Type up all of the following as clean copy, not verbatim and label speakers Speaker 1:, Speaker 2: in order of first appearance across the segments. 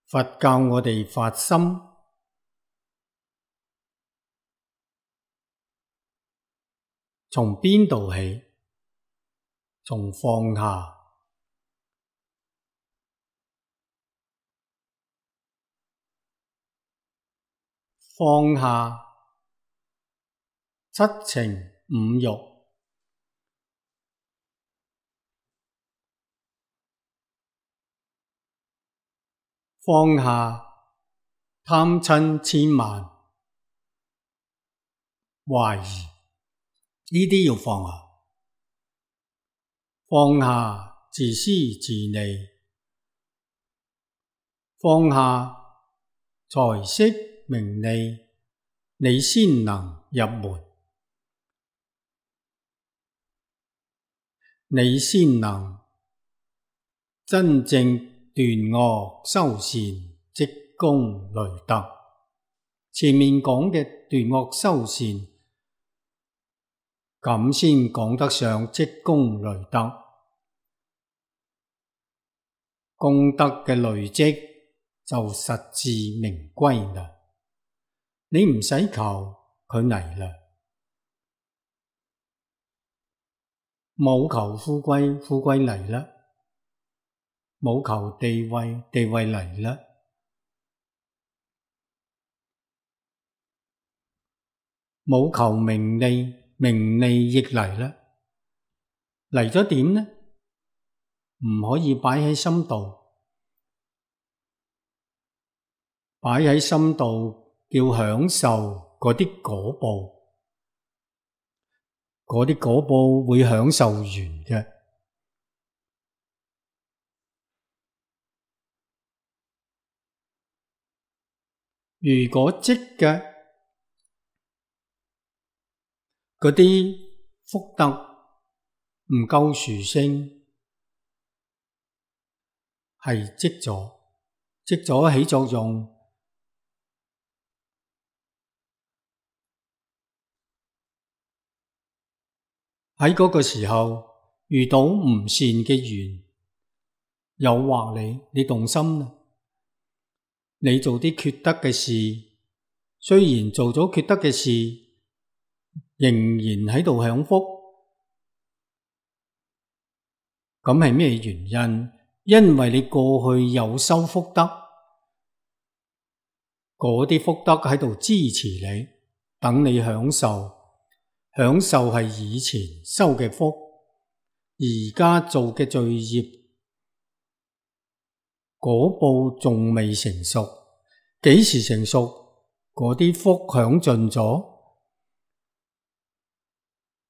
Speaker 1: 佛教我哋發心，從邊度起？從放下。放下七情五欲，放下貪嗔痴慢懷疑，呢啲要放下。放下自私自利，放下財色名利，你先能入門，你先能真正斷惡修善，積功累德。前面講嘅斷惡修善，咁先講得上積功累德。功德嘅累積就實至名歸啦。你唔使求，佢嚟啦。冇求富貴，富貴嚟啦；冇求地位，地位嚟啦；冇求名利，名利亦嚟啦。嚟咗點呢？唔可以擺喺心度，擺喺心度叫享受嗰啲果報，嗰啲果報會享受完嘅。如果積嘅嗰啲福德唔夠殊勝，係積咗起作用，喺嗰個時候遇到唔善嘅緣，誘惑你動心啦。你做啲缺德嘅事，雖然做咗缺德嘅事，仍然喺度享福，咁係咩原因？因為你過去有修福德，嗰啲福德喺度支持你，等你享受。享受係以前修嘅福，而家做嘅罪業，果報仲未成熟。幾時成熟？嗰啲福享盡咗，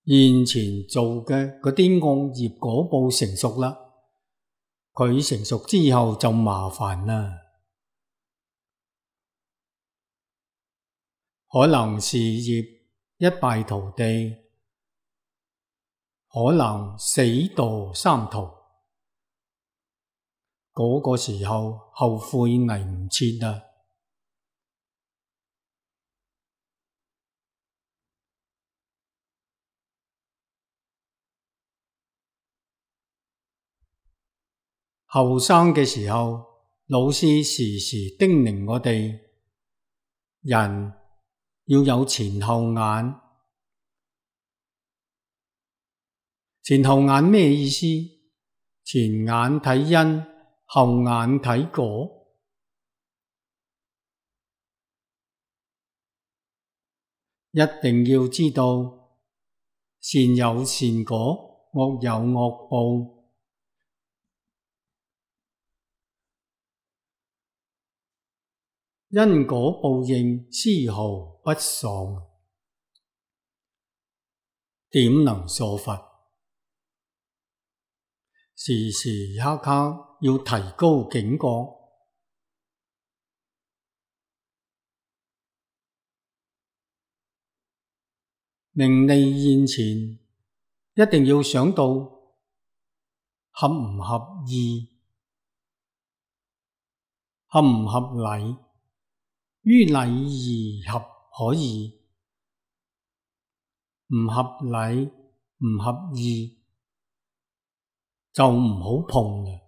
Speaker 1: 現前做嘅嗰啲惡業果報成熟啦。佢成熟之後就麻煩啦，可能事業一敗塗地，可能死墮三途。嗰個時候後悔嚟唔切啦。後生嘅時候，老師時時叮嚀我哋，人要有前後眼。前後眼咩意思？前眼睇因，後眼睇果。一定要知道，善有善果，惡有惡報。因果報應絲毫不爽，點能疏忽？時時刻刻要提高警覺。名利現前，一定要想到合唔合意，合唔合理。於禮儀合可以，唔合理唔合意就唔好碰啦。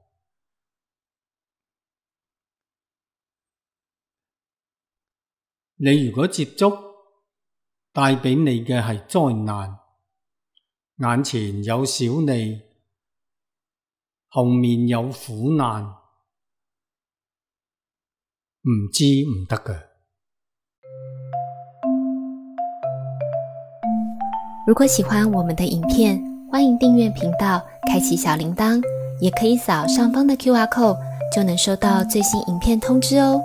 Speaker 1: 你如果接觸，帶俾你嘅係災難，眼前有小利，後面有苦難，唔知唔得㗎。
Speaker 2: 如果喜歡我們的影片，歡迎訂閱頻道，開啟小鈴鐺，也可以掃上方的QR code，就能收到最新影片通知哦。